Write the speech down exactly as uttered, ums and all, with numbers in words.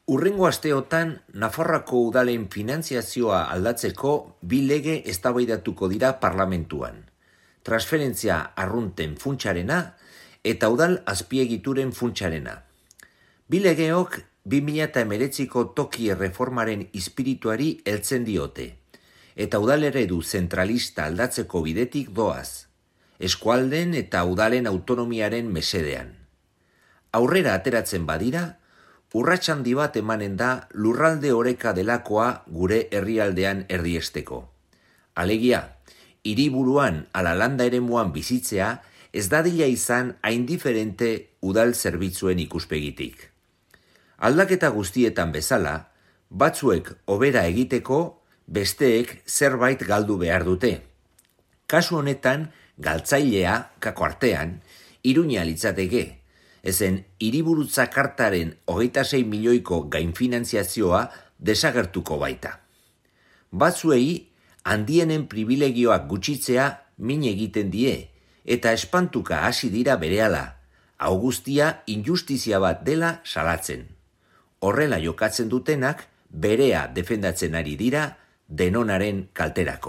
Hurrengo asteotan, Nafarroako udalen finantziazioa aldatzeko bi lege eztabaidatuko dira parlamentuan. Transferentzia arrunten funtsarena eta udal azpiegituren funtsarena. Bi legeok bi mila hemeretziko toki erreformaren ispirituari heltzen diote, eta udaleredu zentralista aldatzeko bidetik doaz, eskualden eta udalen autonomiaren mesedean. Aurrera ateratzen badira, urrats handi bat emanen da lurralde oreka delakoa gure herrialdean erdiesteko. Alegia, hiriburuan ala landa eremuan bizitzea ez dadila izan hain diferente udal zerbitzuen ikuspegitik. Aldaketa guztietan bezala, batzuek hobera egiteko, besteek zerbait galdu behar dute. Kasu honetan, galtzailea, kako artean, Iruña litzateke, ezen hiriburutza kartaren hogeita sei milioiko gainfinantziazioa desagertuko baita. Batzuei, handienen privilegioak gutxitzea min egiten die, eta espantuka hasi dira berehala, hau guztia injustizia bat dela salatzen. Horrela jokatzen dutenak, berea defendatzen ari dira denonaren kalterako.